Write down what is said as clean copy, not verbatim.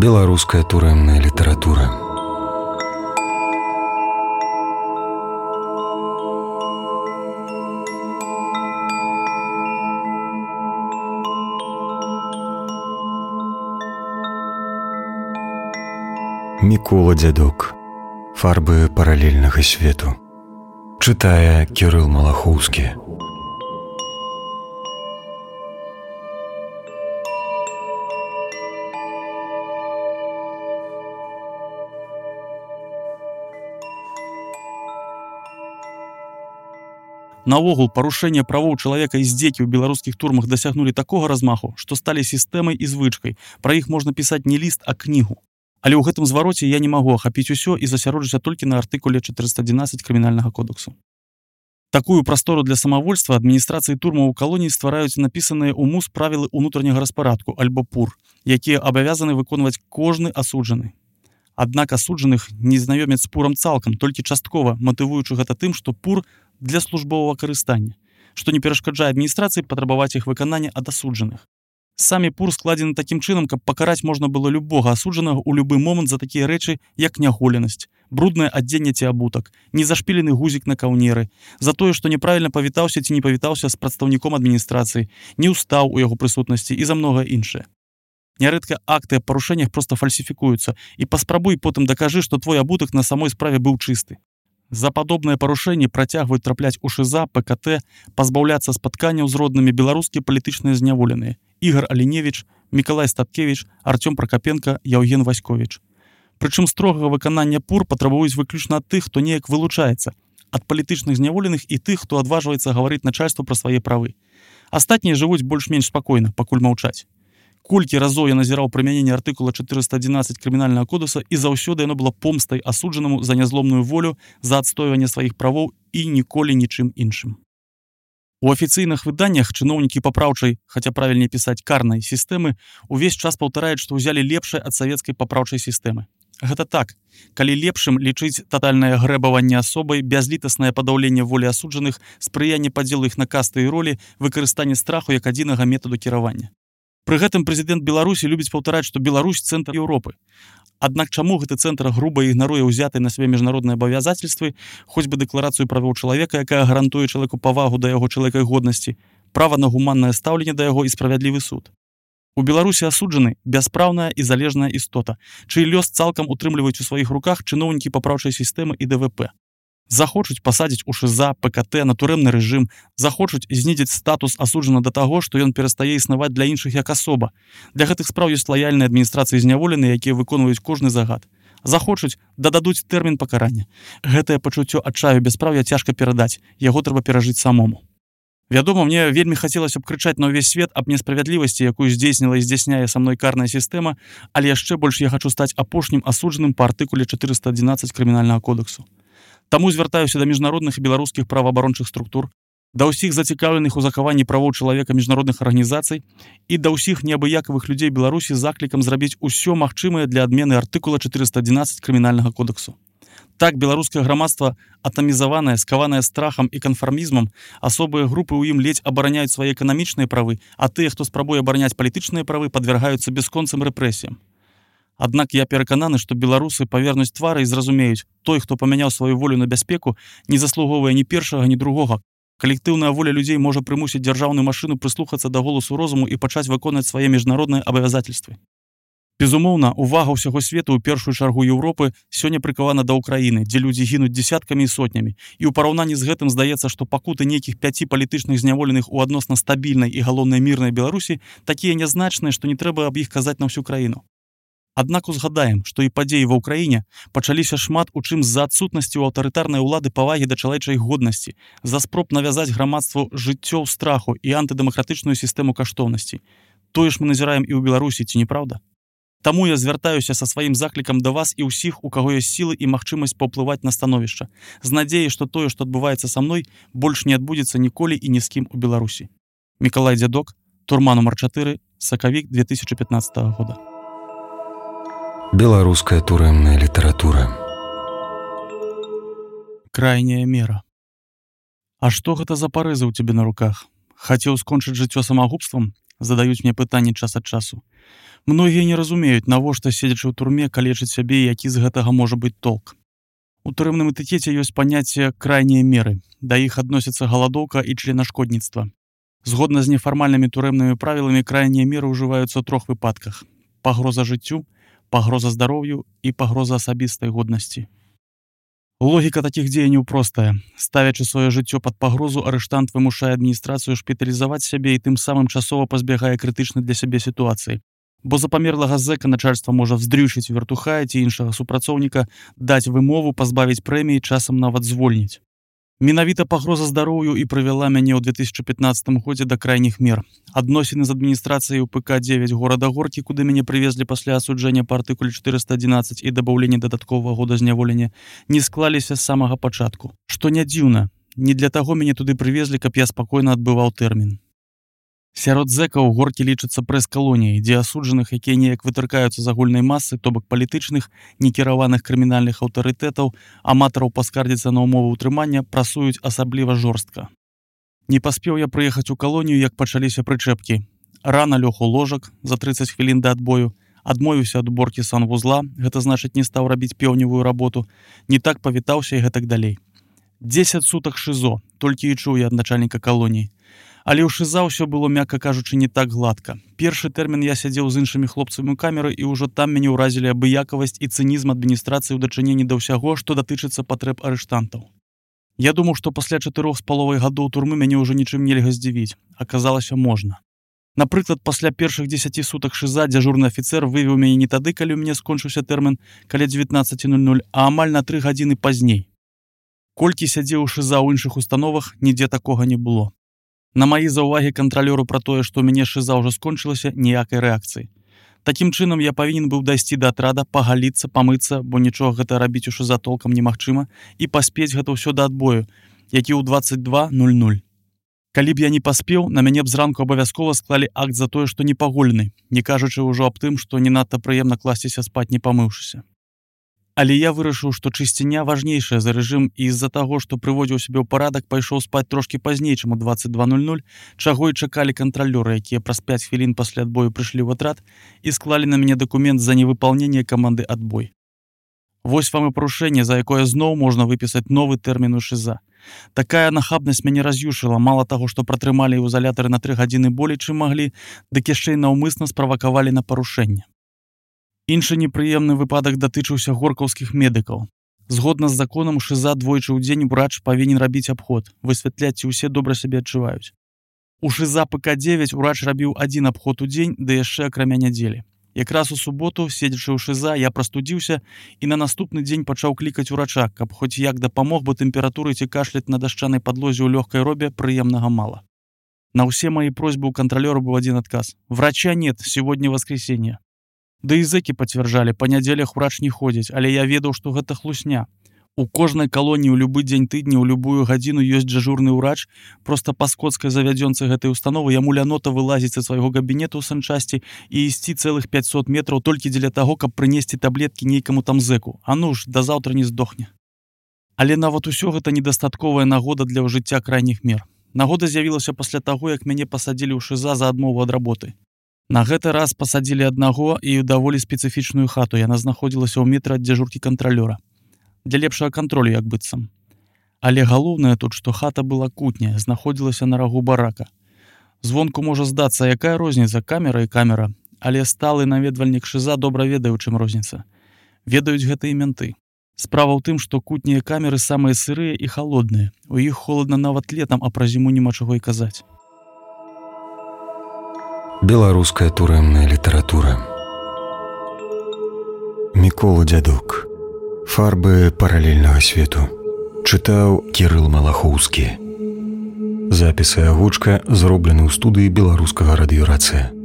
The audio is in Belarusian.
Беларуская турэмная літаратура. Мікола Дзядок. Фарбы паралельнага свету. Чытае Кірыл Малахоўскі. Наогул, парушэнне правоў чалавека і здзекі ў беларускіх турмах дасягнулі такога размаху, што сталі сістэмай і звычкай. Пра іх можна пісаць не ліст, а кнігу. Але ў гэтым звароце я не магу ахапіць усё і засяроджуся толькі на артыкуле 411 крымінальнага кодексу. Такую прастору для самавольства адміністрацыі турмаў у калоніі ствараюць напісаныя ў МУС правілы ўнутранняга распарадку, альбо ПУР, якія абавязаны выконваць кожны асуджаны. Аднак асуджаных не знаёмяць з ПУРам цалкам, толькі часткова, матывуючы гэта тым, што ПУР для службовага карыстання, што не перашкаджае адміністрацыі патрабаваць іх выканання ад асуджаных. Самі ПУР складзены такім чынам, каб пакараць можна было любога асуджанага ў любы момант за такія рэчы, як няголенасць, бруднае адзенне ці абутак, незашпілены гузік на каўнеры, за тое, што няправільна павітаўся ці не павітаўся з прадстаўніком адміністрацыі, не ўстаў у яго прысутнасці і за многае іншае. Нярэдка акты аб парушэннях проста фальсіфікуюцца, і паспрабуй потым дакажы, што твой абутак на самой справе быў чысты. За падобныя парушэнні працягваюць трапляць у ШИЗА, ПКТ, пазбаўляцца спатканняў з роднымі беларускія палітычныя зняволеныя Ігор Аліневіч, Мікалай Статкевіч, Артём Пракапенка, Яўген Васьковіч. Прычым строгага выканання ПУР патрабуюць выключна ад тых, хто неяк вылучаецца, ад палітычных зняволеных і тых, хто адважваецца гаварыць начальству пра свае правы. Астатнія жывуць больш-менш спакойна, пакуль маўчаць. Колькі разоў я назіраў прымяненне артыкула 411 крымінальнага кодекса, і заўсёды яно было помстай асуджанаму за нязломную волю, за адстойванне сваіх правоў і ніколі нічым іншым. У афіцыйных выданнях чыноўнікі папраўчай, хаця правільней пісаць карнай сістэмы, увесь час паўтараюць, што ўзялі лепшае ад савецкай папраўчай сістэмы. Гэта так. Калі лепшым лічыць татальнае грэбаванне асобай, бязлітаснае падаўленне волі асуджаных, спрыянне падзелу іх на касты і ролі, выкарыстанне страху як адзінага метаду кіравання. Пры гэтым прэзідэнт Беларусі любіць паўтараць, што Беларусь цэнтр Еўропы. Аднак чаму гэты цэнтр груба ігнаруе ўзятыя на свае міжнародныя абавязацельствы, хоць бы дэкларацыю правоў чалавека, якая гарантуе чалавеку павагу да яго чалавекай годнасці, права на гуманнае стаўленне да яго і справядлівы суд. У Беларусі асуджаны бяспраўная і залежная істота, чый лёс цалкам утрымліваюць у сваіх руках чыноўнікі папраўчай сістэмы і ДВП. Захочуць пасадзіць у ШИЗА, ПКТ, на турэмны рэжым, захочуць знізіць статус асуджана да таго, што ён перастае існаваць для іншых як асоба. Для гэтых спраў ёсць лаяльныя адміністрацыі зняволеныя, якія выконваюць кожны загад. Захочуць, дададуць тэрмін пакарання. Гэтае пачуццё адчаю бяспраўя цяжка перадаць, яго трэба перажыць самому. Вядома, мне вельмі хацелася б крычаць на ўвесь свет аб несправядлівасці, якую здзейсніла і здзяйсняе са мной карная сістэма, але яшчэ больш я хачу стаць апошнім асуджаным па артыкуле 411 крымінальнага кодексу. Таму звяртаюся да міжнародных і беларускіх праваабарончых структур, да ўсіх зацікаўленых у захаванні правоў чалавека міжнародных арганізацый і да ўсіх неабыякавых людзей Беларусі заклікам зрабіць усё магчымае для адмены артыкула 411 крымінальнага кодексу. Так беларускае грамадства, атамізаванае, скаванае страхам і канфармізмам, асобыя групы ў ім ледзь абараняюць свае эканамічныя правы, а тыя, хто спрабуе абараняць палітычныя правы, падвяргаюцца бясконцым рэпрэсіям. Аднак я перакананы, што беларусы павернуць твары і зразумеюць, той, хто памяняў сваю волю на бяспеку, не заслугоўвае ні першага, ні другога. Калектыўная воля людзей можа прымусіць дзяржаўную машыну прыслухацца да голасу розуму і пачаць выконаць свае міжнародныя абавязацельствы. Безумоўна, увага ўсяго свету, у першую чаргу Еўропы, сёння прыкавана да Ўкраіны, дзе людзі гінуць дзесяткамі і сотнямі. І ў параўнанні з гэтым здаецца, што пакуты нейкіх 5 палітычных зняволеных у адносна стабільнай і галоўнай мірнай Беларусі такія нязначныя, што не трэба аб іх казаць на ўсю краіну. Аднак узгадаем, што і падзеі ва ўкраіне пачаліся шмат у чым з-за адсутнасці ў аўтарытарнай улады павагі да чалавечай годнасці, за спроб навязаць грамадству жыццё ў страху і антыдэмакратычную сістэму каштоўнасцей. Тое ж мы назіраем і ў Беларусі, ці не праўда? Таму я звяртаюся са сваім заклікам да вас і ўсіх, у каго ёсць сілы і магчымасць паўплываць на становішча, з надзеяй, што тое, што адбываецца са мной, больш не адбудзецца ніколі і ні з кім у Беларусі. Мікалай Дзядок, турма нумар 4, сакавік 2015 года. Беларуская турэмная літаратура. Крайняя мера. А што гэта за парэзы ў цябе на руках? Хацеў скончыць жыццё самагубствам? задаюць мне пытанні час ад часу. Многія не разумеюць, навошта, седзячы ў турме, калечыць сябе і які з гэтага можа быць толк. У турэмным этыкеце ёсць паняцце крайнія меры. Да іх адносяцца галадоўка і членашкодніцтва. Згодна з нефармальнымі турэмнымі правіламі крайнія меры ўжываюцца ў 3 выпадках: пагроза жыццю, пагроза здароўю і пагроза асабістай годнасці. Логіка такіх дзеянняў простая. Ставячы сваё жыццё пад пагрозу, арыштант вымушае адміністрацыю шпіталізаваць сябе і тым самым часова пазбягае крытычнай для сябе сітуацыі. Бо за памерлага зэка начальства можа вздрючыць вертухая ці іншага супрацоўніка, даць вымову, пазбавіць прэміі, часам нават звольніць. Менавіта пагроза здароўю і прывяла мяне ў 2015 годзе да крайніх мер. Адносіны з адміністрацыяй УПК-9 горада Горкі, куды мяне прывезлі пасля асуджэння па артыкуле 411 і дабаўлення дадатковага года зняволення, не склаліся з самага пачатку. Што не дзіўна, не для таго мяне туды прывезлі, каб я спакойна адбываў тэрмін. Сярод зэкаў Горкі лічацца прэс-калоніяй, дзе асуджаных, якія неяк вытыркаюцца з агульнай масы, то бок палітычных, некіраваных крымінальных аўтарытэтаў, аматараў паскардзіцца на ўмовы ўтрымання, прасуюць асабліва жорстка. Не паспеў я прыехаць у калонію, як пачаліся прычэпкі. Рана лёг у ложак за 30 хвілін да адбою, адмовіўся ад уборкі санвузла, гэта значыць не стаў рабіць пеўневую работу, не так павітаўся і гэтак далей. 10 сутак ШИЗО, толькі і чуў я ад начальніка калоніі. Але ў ШИЗА ўсё было, мякка кажучы, не так гладка. Першы тэрмін я сядзеў з іншымі хлопцамі ў камеры, і ўжо там мяне ўразілі абыякавасць і цынізм адміністрацыі ў дачыненні да ўсяго, што датычыцца патрэб арыштантаў. Я думаў, што пасля 4,5 гадоў турмы мяне ўжо нічым нельга здзівіць. Аказалася, можна. Напрыклад, пасля першых 10 сутак ШИЗА дзяжурны афіцэр вывеў мяне не тады, калі ў мяне скончыўся тэрмін, каля 19:00, а амаль на 3 гадзіны пазней. Колькі сядзеў у ШИЗА ў іншых установах, нідзе такога не было. На маі заўвагі кантралёру пра тое, што ў мяне ШИЗА ўжо скончылася, ніякай рэакцыі. Такім чынам я павінен быў дайсці да атрада, пагаліцца, памыцца, бо нічога гэта рабіць у ШИЗА толкам немагчыма, і паспець гэта ўсё да адбою, які ў 22:00. Калі б я не паспеў, на мяне б зранку абавязкова склалі акт за тое, што непаголены, не кажучы ўжо аб тым, што не надта прыемна класціся спаць не памыўшыся. Але я вырашыў, што чысціня важнейшая за рэжым, і з-за таго, што прыводзіў сябе ў парадак, пайшоў спаць трошкі пазней, чым у 22:00, чаго і чакалі кантралёры, якія праз 5 хвілін пасля адбою прыйшлі ў атрад і склалі на мяне дакумент за невыпаўненне каманды адбой. Вось вам і парушэнне, за якое зноў можна выпісаць новы тэрмін у ШИЗА. Такая нахабнасць мяне раз'юшыла, мала таго, што пратрымалі ў ізалятары на 3 гадзіны болей, чым маглі, дык яшчэ і наўмысна справакавалі на парушэнне. Іншы непрыемны выпадак датычыўся горкаўскіх медыкаў. Згодна з законам, у ШИЗА двойчы ў дзень урач павінен рабіць абход, высвятляць, ці ўсе добра сябе адчуваюць. У ШИЗА ПК-9 урач рабіў 1 абход у дзень, да яшчэ акрамя нядзелі. Якраз у суботу, седзячы ў ШИЗА, я прастудзіўся і на наступны дзень пачаў клікаць урача, каб хоць як дапамог, бо тэмпературы ці кашляць на дашчанай падлозе ў лёгкай робе прыемнага мала. На ўсе мои просьбы у кантралёра быў адзін адказ: «Врача нет, сегодня воскресенье». Да і зэкі пацвярджалі, па нядзелях урач не ходзіць, але я ведаў, што гэта хлусня. У кожнай калоніі ў любы дзень тыдня, ў любую гадзіну ёсць дзяжурны ўрач, проста па скоцкай завядзёнцы гэтай установы яму лянота вылазіць са свайго габінету ў санчасці і ісці цэлых 500 метраў толькі дзеля таго, каб прынесці таблеткі нейкаму там зэку. А ну ж, да заўтра не здохне. Але нават усё гэта недастатковая нагода для ўжыцця крайніх мер. Нагода з'явілася пасля таго, як мяне пасадзілі ў ШИЗА за адмову ад работы. На гэты раз пасадзілі аднаго і ў даволі спецыфічную хату. Яна знаходзілася ў метры ад дзяжуркі кантралёра. Для лепшага кантролю, як быццам. Але галоўнае тут, што хата была кутняя, знаходзілася на рагу барака. Звонку можа здацца, якая розніца, камера і камера, але сталы наведвальнік ШИЗА добра ведае, у чым розніца. Ведаюць гэта і менты. Справа ў тым, што кутнія камеры самыя сырыя і халодныя. У іх холадна нават летам, а пра зіму няма чаго і казаць. Беларуская турэмная літаратура. Мікола Дзядок. Фарбы паралельнага свету. Чытаў Кірыл Малахоўскі. Запісы агучка зроблены ў студыі беларускага радыёрацыя.